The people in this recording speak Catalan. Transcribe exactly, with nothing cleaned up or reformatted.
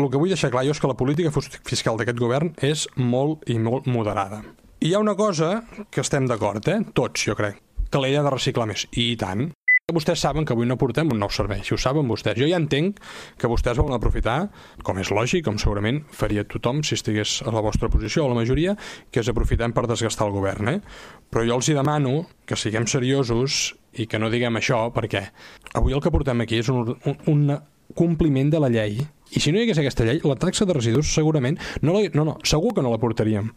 el que vull deixar clar jo és que la política fiscal d'aquest govern és molt i molt moderada. I hi ha una cosa que estem d'acord, eh? Tots, jo crec, que l'ella ha de reciclar més. I tant. Vostès saben que avui no portem un nou servei, si ho saben vostès. Jo ja entenc que vostès volen aprofitar, com és lògic, com segurament faria tothom si estigués a la vostra posició o la majoria, que és aprofitem per desgastar el govern, eh? Però jo els hi demano que siguem seriosos i que no diguem això, perquè avui el que portem aquí és un, un, un compliment de la llei. I si no hi hagués aquesta llei, la taxa de residus segurament... No, la, no, no, segur que no la portaríem.